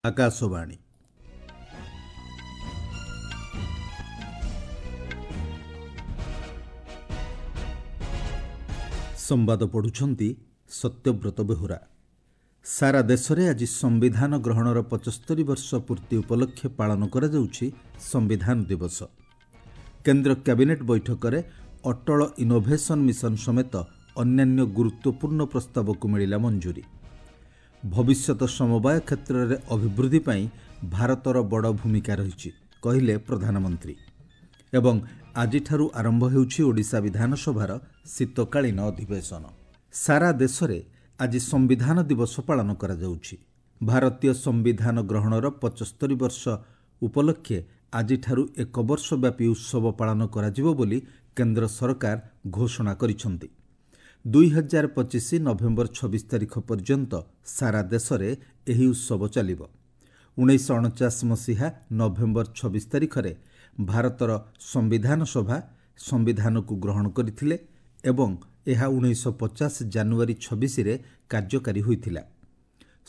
ଆକାଶବାଣୀ। ସମ୍ବାଦ ପଢ଼ୁଛନ୍ତି ସତ୍ୟବ୍ରତ ବେହୁରା। ସାରା ଦେଶରେ ଆଜି ସମ୍ବିଧାନ ଗ୍ରହଣର 75 ବର୍ଷ ପୂର୍ତ୍ତି ଉପଲକ୍ଷେ ପାଳନ କରାଯାଉଛି ସମ୍ବିଧାନ ଦିବସ। କେନ୍ଦ୍ର କ୍ୟାବିନେଟ୍ ବୈଠକରେ ଅଟଳ ଇନୋଭେସନ୍ ମିଶନ ସମେତ ଅନ୍ୟାନ୍ୟ ଗୁରୁତ୍ୱପୂର୍ଣ୍ଣ ପ୍ରସ୍ତାବକୁ ମିଳିଲା ମଞ୍ଜୁରୀ। ଭବିଷ୍ୟତ ସମବାୟ କ୍ଷେତ୍ରରେ ଅଭିବୃଦ୍ଧି ପାଇଁ ଭାରତର ବଡ଼ ଭୂମିକା ରହିଛି, କହିଲେ ପ୍ରଧାନମନ୍ତ୍ରୀ। ଏବଂ ଆଜିଠାରୁ ଆରମ୍ଭ ହେଉଛି ଓଡ଼ିଶା ବିଧାନସଭାର ଶୀତକାଳୀନ ଅଧିବେଶନ। ସାରା ଦେଶରେ ଆଜି ସମ୍ବିଧାନ ଦିବସ ପାଳନ କରାଯାଉଛି। ଭାରତୀୟ ସମ୍ବିଧାନ ଗ୍ରହଣର 75 ବର୍ଷ ଉପଲକ୍ଷେ ଆଜିଠାରୁ ଏକ ବର୍ଷ ବ୍ୟାପୀ ଉତ୍ସବ ପାଳନ କରାଯିବ ବୋଲି କେନ୍ଦ୍ର ସରକାର ଘୋଷଣା କରିଛନ୍ତି। 2025 ନଭେମ୍ବର 26 ତାରିଖ ପର୍ଯ୍ୟନ୍ତ ସାରା ଦେଶରେ ଏହି ଉତ୍ସବ ଚାଲିବ। 1949 ମସିହା ନଭେମ୍ବର 26 ତାରିଖରେ ଭାରତର ସମ୍ବିଧାନ ସଭା ସମ୍ବିଧାନକୁ ଗ୍ରହଣ କରିଥିଲେ ଏବଂ ଏହା 1950 ଜାନୁଆରୀ 26ରେ କାର୍ଯ୍ୟକାରୀ ହୋଇଥିଲା।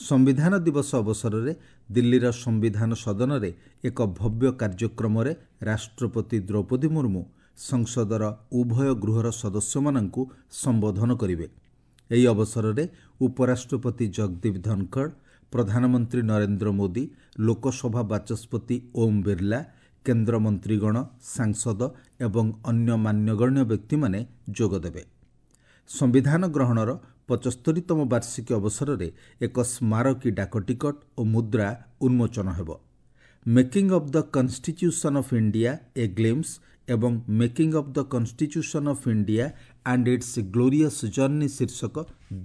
ସମ୍ବିଧାନ ଦିବସ ଅବସରରେ ଦିଲ୍ଲୀର ସମ୍ବିଧାନ ସଦନରେ ଏକ ଭବ୍ୟ କାର୍ଯ୍ୟକ୍ରମରେ ରାଷ୍ଟ୍ରପତି ଦ୍ରୌପଦୀ ମୁର୍ମୁ ସଂସଦର ଉଭୟ ଗୃହର ସଦସ୍ୟମାନଙ୍କୁ ସମ୍ବୋଧନ କରିବେ। ଏହି ଅବସରରେ ଉପରାଷ୍ଟ୍ରପତି ଜଗଦୀପ ଧନଖଡ଼, ପ୍ରଧାନମନ୍ତ୍ରୀ ନରେନ୍ଦ୍ର ମୋଦି, ଲୋକସଭା ବାଚସ୍ପତି ଓମ୍ ବିର୍ଲା, କେନ୍ଦ୍ର ମନ୍ତ୍ରୀଗଣ, ସାଂସଦ ଏବଂ ଅନ୍ୟ ମାନ୍ୟଗଣ୍ୟ ବ୍ୟକ୍ତିମାନେ ଯୋଗଦେବେ। ସମ୍ବିଧାନ ଗ୍ରହଣର 75ତମ ବାର୍ଷିକୀ ଅବସରରେ ଏକ ସ୍ମାରକୀ ଡାକଟିକଟ ଓ ମୁଦ୍ରା ଉନ୍ମୋଚନ ହେବ। Making of the constitution of India a glimpse ଏବଂ making of the constitution of India and its glorious journey ଶୀର୍ଷକ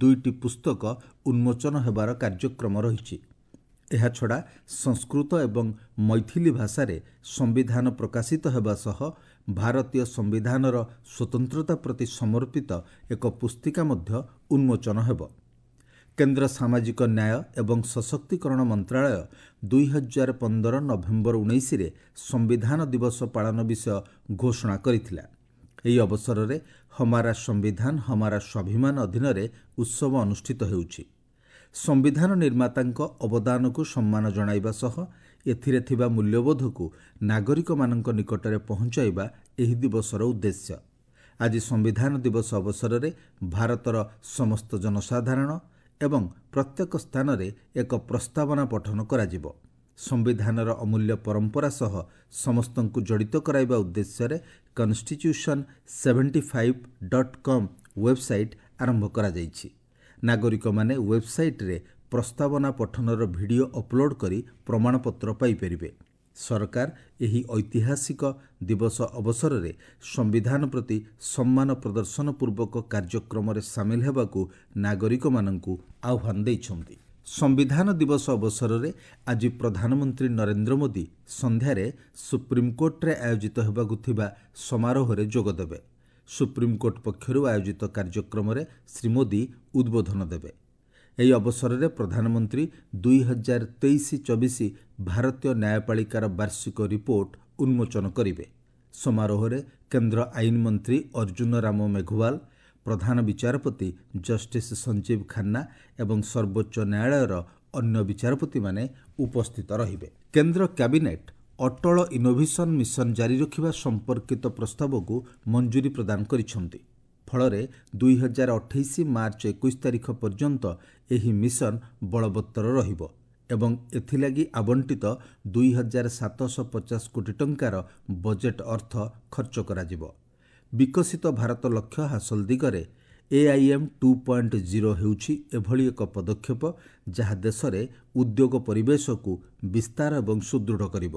ଦୁଇଟି ପୁସ୍ତକ ଉନ୍ମୋଚନ ହେବାର କାର୍ଯ୍ୟକ୍ରମ ରହିଛି। ଏହାଛଡ଼ା ସଂସ୍କୃତ ଏବଂ ମୈଥିଲି ଭାଷାରେ ସମ୍ବିଧାନ ପ୍ରକାଶିତ ହେବା ସହ ଭାରତୀୟ ସମ୍ବିଧାନର ସ୍ୱତନ୍ତ୍ରତା ପ୍ରତି ସମର୍ପିତ ଏକ ପୁସ୍ତିକା ମଧ୍ୟ ଉନ୍ମୋଚନ ହେବ। କେନ୍ଦ୍ର ସାମାଜିକ ନ୍ୟାୟ ଏବଂ ସଶକ୍ତିକରଣ ମନ୍ତ୍ରାଳୟ 2015 ନଭେମ୍ବର 19ରେ ସମ୍ବିଧାନ ଦିବସ ପାଳନ ବିଷୟ ଘୋଷଣା କରିଥିଲା। ଏହି ଅବସରରେ ହମାରା ସମ୍ବିଧାନ ହମାରା ସ୍ୱାଭିମାନ ଅଧୀନରେ ଉତ୍ସବ ଅନୁଷ୍ଠିତ ହେଉଛି। ସମ୍ବିଧାନ ନିର୍ମାତାଙ୍କ ଅବଦାନକୁ ସମ୍ମାନ ଜଣାଇବା ସହ ଏଥିରେ ଥିବା ମୂଲ୍ୟବୋଧକୁ ନାଗରିକମାନଙ୍କ ନିକଟରେ ପହଞ୍ଚାଇବା ଏହି ଦିବସର ଉଦ୍ଦେଶ୍ୟ। ଆଜି ସମ୍ବିଧାନ ଦିବସ ଅବସରରେ ଭାରତର ସମସ୍ତ ଜନସାଧାରଣ ଏବଂ ପ୍ରତ୍ୟେକ ସ୍ଥାନରେ ଏକ ପ୍ରସ୍ତାବନା ପଠନ କରାଯିବ। ସମ୍ବିଧାନର ଅମୂଲ୍ୟ ପରମ୍ପରା ସହ ସମସ୍ତଙ୍କୁ ଜଡ଼ିତ କରାଇବା ଉଦ୍ଦେଶ୍ୟରେ କନଷ୍ଟିଚ୍ୟୁସନ୍ 75.com website ଆରମ୍ଭ କରାଯାଇଛି। ନାଗରିକମାନେ ୱେବସାଇଟ୍ରେ ପ୍ରସ୍ତାବନା ପଠନର ଭିଡ଼ିଓ ଅପଲୋଡ୍ କରି ପ୍ରମାଣପତ୍ର ପାଇପାରିବେ। ସରକାର ଏହି ଐତିହାସିକ ଦିବସ ଅବସରରେ ସମ୍ବିଧାନ ପ୍ରତି ସମ୍ମାନ ପ୍ରଦର୍ଶନ ପୂର୍ବକ କାର୍ଯ୍ୟକ୍ରମରେ ସାମିଲ ହେବାକୁ ନାଗରିକମାନଙ୍କୁ ଆହ୍ୱାନ ଦେଇଛନ୍ତି। ସମ୍ବିଧାନ ଦିବସ ଅବସରରେ ଆଜି ପ୍ରଧାନମନ୍ତ୍ରୀ ନରେନ୍ଦ୍ର ମୋଦି ସନ୍ଧ୍ୟାରେ ସୁପ୍ରିମକୋର୍ଟରେ ଆୟୋଜିତ ହେବାକୁ ଥିବା ସମାରୋହରେ ଯୋଗଦେବେ। ସୁପ୍ରିମକୋର୍ଟ ପକ୍ଷରୁ ଆୟୋଜିତ କାର୍ଯ୍ୟକ୍ରମରେ ଶ୍ରୀ ମୋଦି ଉଦ୍ବୋଧନ ଦେବେ। ଏହି ଅବସରରେ ପ୍ରଧାନମନ୍ତ୍ରୀ 2023-24 ଭାରତୀୟ ନ୍ୟାୟପାଳିକାର ବାର୍ଷିକ ରିପୋର୍ଟ ଉନ୍ମୋଚନ କରିବେ। ସମାରୋହରେ କେନ୍ଦ୍ର ଆଇନ ମନ୍ତ୍ରୀ ଅର୍ଜୁନ ରାମ ମେଘୱାଲ, ପ୍ରଧାନ ବିଚାରପତି ଜଷ୍ଟିସ୍ ସଞ୍ଜୀବ ଖାନ୍ନା ଏବଂ ସର୍ବୋଚ୍ଚ ନ୍ୟାୟାଳୟର ଅନ୍ୟ ବିଚାରପତିମାନେ ଉପସ୍ଥିତ ରହିବେ। କେନ୍ଦ୍ର କ୍ୟାବିନେଟ୍ ଅଟଳ ଇନୋଭେସନ୍ ମିଶନ ଜାରି ରଖିବା ସମ୍ପର୍କିତ ପ୍ରସ୍ତାବକୁ ମଞ୍ଜୁରୀ ପ୍ରଦାନ କରିଛନ୍ତି। ଫଳରେ 2028 ମାର୍ଚ୍ଚ 21 ତାରିଖ ପର୍ଯ୍ୟନ୍ତ ଏହି ମିଶନ ବଳବତ୍ତର ରହିବ ଏବଂ ଏଥିଲାଗି ଆବଣ୍ଟିତ 2750 କୋଟି ଟଙ୍କାର ବଜେଟ୍ ଅର୍ଥ ଖର୍ଚ୍ଚ କରାଯିବ। ବିକଶିତ ଭାରତ ଲକ୍ଷ୍ୟ ହାସଲ ଦିଗରେ ଏଆଇଏମ୍ 2.0 ହେଉଛି ଏଭଳି ଏକ ପଦକ୍ଷେପ, ଯାହା ଦେଶରେ ଉଦ୍ୟୋଗ ପରିବେଶକୁ ବିସ୍ତାର ଏବଂ ସୁଦୃଢ଼ କରିବ।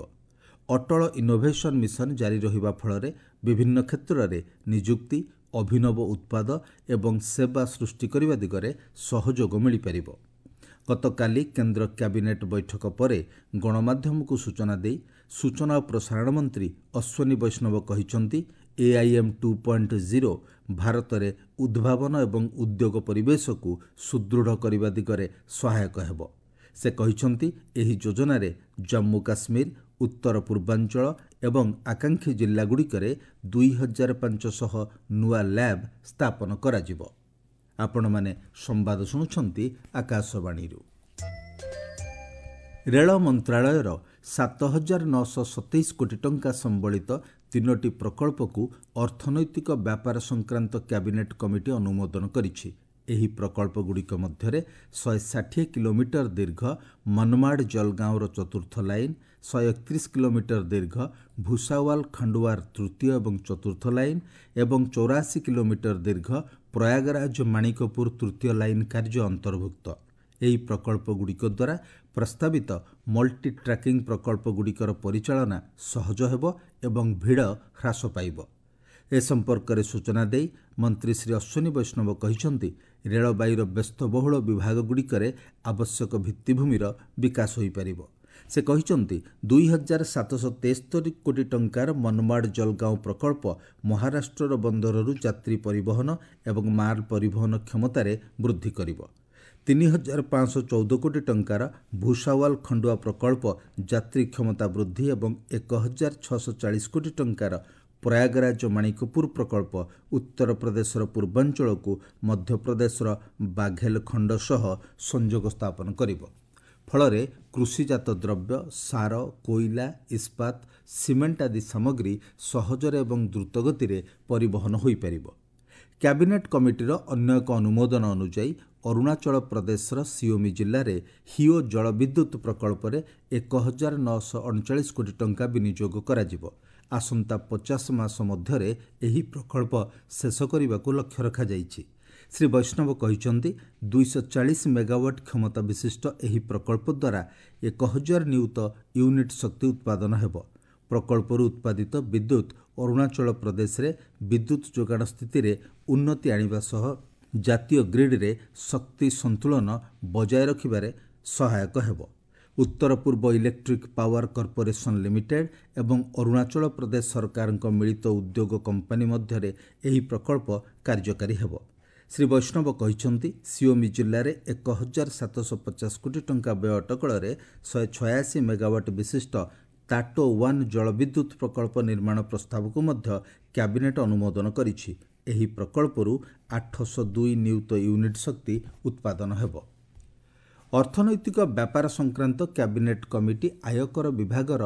ଅଟଳ ଇନୋଭେସନ୍ ମିଶନ ଜାରି ରହିବା ଫଳରେ ବିଭିନ୍ନ କ୍ଷେତ୍ରରେ ନିଯୁକ୍ତି, ଅଭିନବ ଉତ୍ପାଦ ଏବଂ ସେବା ସୃଷ୍ଟି କରିବା ଦିଗରେ ସହଯୋଗ ମିଳିପାରିବ। ଗତକାଲି କେନ୍ଦ୍ର କ୍ୟାବିନେଟ୍ ବୈଠକ ପରେ ଗଣମାଧ୍ୟମକୁ ସୂଚନା ଦେଇ ସୂଚନା ଓ ପ୍ରସାରଣ ମନ୍ତ୍ରୀ ଅଶ୍ୱିନୀ ବୈଷ୍ଣବ କହିଛନ୍ତି, ଏଆଇଏମ୍ 2.0 ଭାରତରେ ଉଦ୍ଭାବନ ଏବଂ ଉଦ୍ୟୋଗ ପରିବେଶକୁ ସୁଦୃଢ଼ କରିବା ଦିଗରେ ସହାୟକ ହେବ। ସେ କହିଛନ୍ତି, ଏହି ଯୋଜନାରେ ଜମ୍ମୁ କାଶ୍ମୀର, ଉତ୍ତର ପୂର୍ବାଞ୍ଚଳ ଏବଂ ଆକାଂକ୍ଷୀ ଜିଲ୍ଲାଗୁଡ଼ିକରେ 2500 ନୂଆ ଲ୍ୟାବ୍ ସ୍ଥାପନ କରାଯିବ। ଆପଣମାନେ ସମ୍ବାଦ ଶୁଣୁଛନ୍ତି ଆକାଶବାଣୀରୁ। ରେଳ ମନ୍ତ୍ରାଳୟର 7927 କୋଟି ଟଙ୍କା ସମ୍ବଳିତ 3ଟି ପ୍ରକଳ୍ପକୁ ଅର୍ଥନୈତିକ ବ୍ୟାପାର ସଂକ୍ରାନ୍ତ କ୍ୟାବିନେଟ୍ କମିଟି ଅନୁମୋଦନ କରିଛି। ଏହି ପ୍ରକଳ୍ପଗୁଡ଼ିକ ମଧ୍ୟରେ 160 କିଲୋମିଟର ଦୀର୍ଘ ମନମାଡ଼ ଜଲଗାଁର ଚତୁର୍ଥ ଲାଇନ୍, 131 କିଲୋମିଟର ଦୀର୍ଘ ଭୁସାୱାଲ ଖଣ୍ଡୱାର ତୃତୀୟ ଏବଂ ଚତୁର୍ଥ ଲାଇନ୍ ଏବଂ 84 କିଲୋମିଟର ଦୀର୍ଘ ପ୍ରୟାଗରାଜ ମାଣିକପୁର ତୃତୀୟ ଲାଇନ୍ କାର୍ଯ୍ୟ ଅନ୍ତର୍ଭୁକ୍ତ। ଏହି ପ୍ରକଳ୍ପଗୁଡ଼ିକ ଦ୍ୱାରା ପ୍ରସ୍ତାବିତ ମଲ୍ଟି ଟ୍ରାକିଂ ପ୍ରକଳ୍ପଗୁଡ଼ିକର ପରିଚାଳନା ସହଜ ହେବ ଏବଂ ଭିଡ଼ ହ୍ରାସ ପାଇବ। ଏ ସମ୍ପର୍କରେ ସୂଚନା ଦେଇ ମନ୍ତ୍ରୀ ଶ୍ରୀ ଅଶ୍ୱିନୀ ବୈଷ୍ଣବ କହିଛନ୍ତି, ରେଳବାଇର ବ୍ୟସ୍ତବହୁଳ ବିଭାଗଗୁଡ଼ିକରେ ଆବଶ୍ୟକ ଭିତ୍ତିଭୂମିର ବିକାଶ ହୋଇପାରିବ। ସେ କହିଛନ୍ତି, 2773 କୋଟି ଟଙ୍କାର ମନମାଡ଼ ଜଲଗାଁଓ ପ୍ରକଳ୍ପ ମହାରାଷ୍ଟ୍ରର ବନ୍ଦରରୁ ଯାତ୍ରୀ ପରିବହନ ଏବଂ ମାଲ ପରିବହନ କ୍ଷମତାରେ ବୃଦ୍ଧି କରିବ। 3514 କୋଟି ଟଙ୍କାର ଭୁସାୱାଲ ଖଣ୍ଡୁଆ ପ୍ରକଳ୍ପ ଯାତ୍ରୀ କ୍ଷମତା ବୃଦ୍ଧି ଏବଂ 1640 କୋଟି ଟଙ୍କାର ପ୍ରୟାଗରାଜ ମାଣିକପୁର ପ୍ରକଳ୍ପ ଉତ୍ତରପ୍ରଦେଶର ପୂର୍ବାଞ୍ଚଳକୁ ମଧ୍ୟପ୍ରଦେଶର ବାଘେଲଖଣ୍ଡ ସହ ସଂଯୋଗ ସ୍ଥାପନ କରିବ। ଫଳରେ କୃଷିଜାତ ଦ୍ରବ୍ୟ, ସାର, କୋଇଲା, ଇସ୍ପାତ, ସିମେଣ୍ଟ ଆଦି ସାମଗ୍ରୀ ସହଜରେ ଏବଂ ଦ୍ରୁତଗତିରେ ପରିବହନ ହୋଇପାରିବ। କ୍ୟାବିନେଟ୍ କମିଟିର ଅନ୍ୟ ଏକ ଅନୁମୋଦନ ଅନୁଯାୟୀ ଅରୁଣାଚଳ ପ୍ରଦେଶର ସିଓମି ଜିଲ୍ଲାରେ ହିଓ ଜଳବିଦ୍ୟୁତ୍ ପ୍ରକଳ୍ପରେ 1939 କୋଟି ଟଙ୍କା ବିନିଯୋଗ କରାଯିବ। ଆସନ୍ତା 50 ମାସ ମଧ୍ୟରେ ଏହି ପ୍ରକଳ୍ପ ଶେଷ କରିବାକୁ ଲକ୍ଷ୍ୟ ରଖାଯାଇଛି। ଶ୍ରୀ ବୈଷ୍ଣବ କହିଛନ୍ତି, 240 ମେଗାୱାଟ୍ କ୍ଷମତା ବିଶିଷ୍ଟ ଏହି ପ୍ରକଳ୍ପ ଦ୍ୱାରା 1000 ନିୟୁତ ୟୁନିଟ୍ ଶକ୍ତି ଉତ୍ପାଦନ ହେବ। ପ୍ରକଳ୍ପରୁ ଉତ୍ପାଦିତ ବିଦ୍ୟୁତ୍ ଅରୁଣାଚଳ ପ୍ରଦେଶରେ ବିଦ୍ୟୁତ୍ ଯୋଗାଣ ସ୍ଥିତିରେ ଉନ୍ନତି ଆଣିବା ସହ ଜାତୀୟ ଗ୍ରିଡ୍ରେ ଶକ୍ତି ସନ୍ତୁଳନ ବଜାୟ ରଖିବାରେ ସହାୟକ ହେବ। ଉତ୍ତର ପୂର୍ବ ଇଲେକ୍ଟ୍ରିକ୍ ପାୱାର କର୍ପୋରେସନ୍ ଲିମିଟେଡ୍ ଏବଂ ଅରୁଣାଚଳ ପ୍ରଦେଶ ସରକାରଙ୍କ ମିଳିତ ଉଦ୍ୟୋଗ କମ୍ପାନୀ ମଧ୍ୟରେ ଏହି ପ୍ରକଳ୍ପ କାର୍ଯ୍ୟକାରୀ ହେବ। ଶ୍ରୀ ବୈଷ୍ଣବ କହିଛନ୍ତି, ସିଓମି ଜିଲ୍ଲାରେ 1750 କୋଟି ଟଙ୍କା ବ୍ୟୟ ଅଟକଳରେ 186 ମେଗାୱାଟ୍ ବିଶିଷ୍ଟ ତାଟୋ 1 ଜଳବିଦ୍ୟୁତ୍ ପ୍ରକଳ୍ପ ନିର୍ମାଣ ପ୍ରସ୍ତାବକୁ ମଧ୍ୟ କ୍ୟାବିନେଟ୍ ଅନୁମୋଦନ କରିଛି। ଏହି ପ୍ରକଳ୍ପରୁ 802 ନିୟୁତ ୟୁନିଟ୍ ଶକ୍ତି ଉତ୍ପାଦନ ହେବ। ଅର୍ଥନୈତିକ ବ୍ୟାପାର ସଂକ୍ରାନ୍ତ କ୍ୟାବିନେଟ୍ କମିଟି ଆୟକର ବିଭାଗର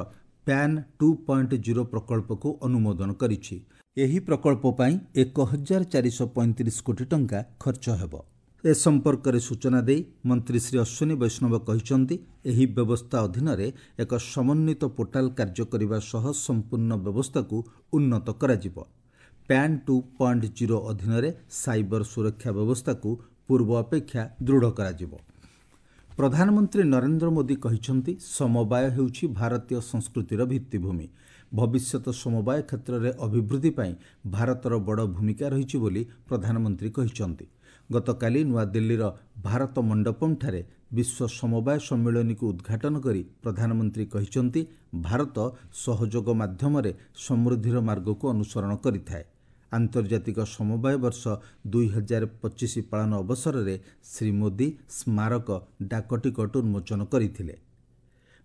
ପ୍ୟାନ୍ 2.0 ପ୍ରକଳ୍ପକୁ ଅନୁମୋଦନ କରିଛି। ଏହି ପ୍ରକଳ୍ପ ପାଇଁ 1435 କୋଟି ଟଙ୍କା ଖର୍ଚ୍ଚ ହେବ। ଏ ସମ୍ପର୍କରେ ସୂଚନା ଦେଇ ମନ୍ତ୍ରୀ ଶ୍ରୀ ଅଶ୍ୱିନୀ ବୈଷ୍ଣବ କହିଛନ୍ତି, ଏହି ବ୍ୟବସ୍ଥା ଅଧୀନରେ ଏକ ସମନ୍ୱିତ ପୋର୍ଟାଲ କାର୍ଯ୍ୟ କରିବା ସହ ସମ୍ପୂର୍ଣ୍ଣ ବ୍ୟବସ୍ଥାକୁ ଉନ୍ନତ କରାଯିବ। ପ୍ୟାନ୍ 2.0 ଅଧୀନରେ ସାଇବର ସୁରକ୍ଷା ବ୍ୟବସ୍ଥାକୁ ପୂର୍ବ ଅପେକ୍ଷା ଦୃଢ଼ କରାଯିବ। ପ୍ରଧାନମନ୍ତ୍ରୀ ନରେନ୍ଦ୍ର ମୋଦି କହିଛନ୍ତି, ସମବାୟ ହେଉଛି ଭାରତୀୟ ସଂସ୍କୃତିର ଭିତ୍ତିଭୂମି। ଭବିଷ୍ୟତ ସମବାୟ କ୍ଷେତ୍ରରେ ଅଭିବୃଦ୍ଧି ପାଇଁ ଭାରତର ବଡ଼ ଭୂମିକା ରହିଛି ବୋଲି ପ୍ରଧାନମନ୍ତ୍ରୀ କହିଛନ୍ତି। ଗତକାଲି ନୂଆଦିଲ୍ଲୀର ଭାରତ ମଣ୍ଡପମ୍ଠାରେ ବିଶ୍ୱ ସମବାୟ ସମ୍ମିଳନୀକୁ ଉଦ୍ଘାଟନ କରି ପ୍ରଧାନମନ୍ତ୍ରୀ କହିଛନ୍ତି, ଭାରତ ସହଯୋଗ ମାଧ୍ୟମରେ ସମୃଦ୍ଧିର ମାର୍ଗକୁ ଅନୁସରଣ କରିଥାଏ। ଆନ୍ତର୍ଜାତିକ ସମବାୟ ବର୍ଷ 2025 ପାଳନ ଅବସରରେ ଶ୍ରୀ ମୋଦି ସ୍ମାରକ ଡାକଟିକଟ ଉନ୍ମୋଚନ କରିଥିଲେ।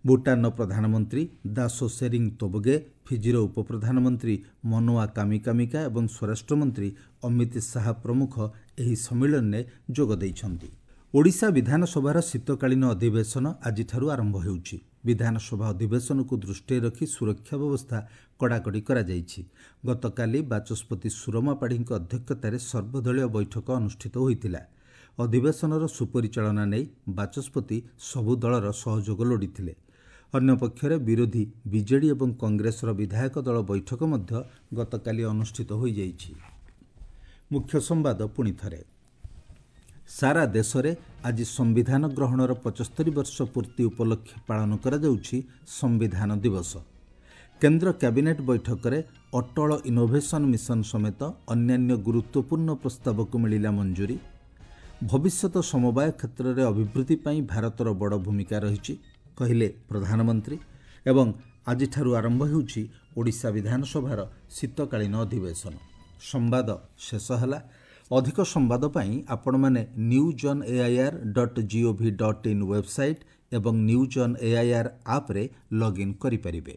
ଭୁଟାନର ପ୍ରଧାନମନ୍ତ୍ରୀ ଦାସୋ ସେରିଂ ତୋବଗେ, ଫିଜିର ଉପପ୍ରଧାନମନ୍ତ୍ରୀ ମନୋଆ କାମିକାମିକା ଏବଂ ସ୍ୱରାଷ୍ଟ୍ରମନ୍ତ୍ରୀ ଅମିତ ଶାହା ପ୍ରମୁଖ ଏହି ସମ୍ମିଳନୀରେ ଯୋଗ ଦେଇଛନ୍ତି। ଓଡ଼ିଶା ବିଧାନସଭାର ଶୀତକାଳୀନ ଅଧିବେଶନ ଆଜିଠାରୁ ଆରମ୍ଭ ହେଉଛି। ବିଧାନସଭା ଅଧିବେଶନକୁ ଦୃଷ୍ଟିରେ ରଖି ସୁରକ୍ଷା ବ୍ୟବସ୍ଥା କଡ଼ାକଡ଼ି କରାଯାଇଛି। ଗତକାଲି ବାଚସ୍ପତି ସୁରମା ପାଢ଼ୀଙ୍କ ଅଧ୍ୟକ୍ଷତାରେ ସର୍ବଦଳୀୟ ବୈଠକ ଅନୁଷ୍ଠିତ ହୋଇଥିଲା। ଅଧିବେଶନର ସୁପରିଚାଳନା ନେଇ ବାଚସ୍ପତି ସବୁ ଦଳର ସହଯୋଗ ଲୋଡ଼ିଥିଲେ। ଅନ୍ୟପକ୍ଷରେ ବିରୋଧୀ ବିଜେଡି ଏବଂ କଂଗ୍ରେସର ବିଧାୟକ ଦଳ ବୈଠକ ମଧ୍ୟ ଗତକାଲି ଅନୁଷ୍ଠିତ ହୋଇଯାଇଛି। ମୁଖ୍ୟ ସମ୍ବାଦ ପୁଣି ଥରେ। ସାରା ଦେଶରେ ଆଜି ସମ୍ବିଧାନ ଗ୍ରହଣର 75 ବର୍ଷ ପୂର୍ତ୍ତି ଉପଲକ୍ଷେ ପାଳନ କରାଯାଉଛି ସମ୍ବିଧାନ ଦିବସ। କେନ୍ଦ୍ର କ୍ୟାବିନେଟ୍ ବୈଠକରେ ଅଟଳ ଇନୋଭେସନ୍ ମିଶନ ସମେତ ଅନ୍ୟାନ୍ୟ ଗୁରୁତ୍ୱପୂର୍ଣ୍ଣ ପ୍ରସ୍ତାବକୁ ମିଳିଲା ମଞ୍ଜୁରୀ। ଭବିଷ୍ୟତ ସମବାୟ କ୍ଷେତ୍ରରେ ଅଭିବୃଦ୍ଧି ପାଇଁ ଭାରତର ବଡ଼ ଭୂମିକା ରହିଛି, କହିଲେ ପ୍ରଧାନମନ୍ତ୍ରୀ। ଏବଂ ଆଜିଠାରୁ ଆରମ୍ଭ ହେଉଛି ଓଡ଼ିଶା ବିଧାନସଭାର ଶୀତକାଳୀନ ଅଧିବେଶନ। ସମ୍ବାଦ ଶେଷ ହେଲା। ଅଧିକ ସମ୍ବାଦ ପାଇଁ ଆପଣମାନେ news on AIR dot gov dot in website ଏବଂ ନ୍ୟୁଜ୍ ଅନ୍ ଏଆଇଆର୍ ଆପ୍ରେ ଲଗ୍ଇନ୍ କରିପାରିବେ।